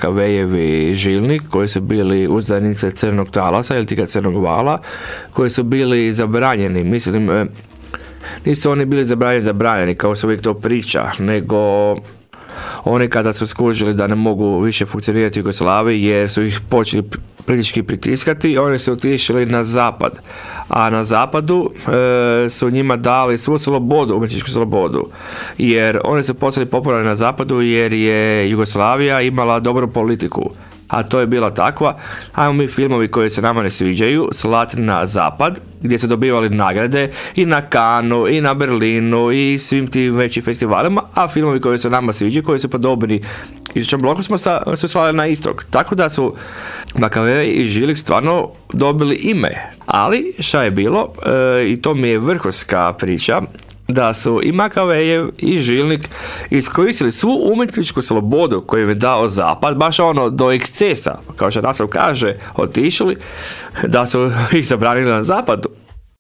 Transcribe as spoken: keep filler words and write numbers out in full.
Makavejevi žilnik, koji su bili uzdanice crnog talasa ili tika crnog vala, koji su bili zabranjeni. Mislim, nisu oni bili zabranjeni, zabranjeni, kao se uvijek to priča, nego oni kada su skužili da ne mogu više funkcionirati u Jugoslaviji jer su ih počeli politički pritiskati, oni su otišli na zapad. A na zapadu e, su njima dali svu slobodu, umjetničku slobodu. Jer oni su postali popularni na zapadu jer je Jugoslavija imala dobru politiku. A to je bila takva, ajmo mi filmovi koji se nama ne sviđaju slati na zapad, gdje su dobivali nagrade i na Cannesu, i na Berlinu, i svim tim većim festivalima, a filmovi koji se nama sviđaju, koji su podobni istočnom bloku, smo sa, su slali na istok. Tako da su Makavej i Žilik stvarno dobili ime. Ali, šta je bilo, e, i to mi je vrhunska priča, da su i Makavejev i Žilnik iskoristili svu umjetničku slobodu koju im je dao zapad, baš ono do ekscesa, kao što naslov kaže, otišli, da su ih zabranili na zapadu.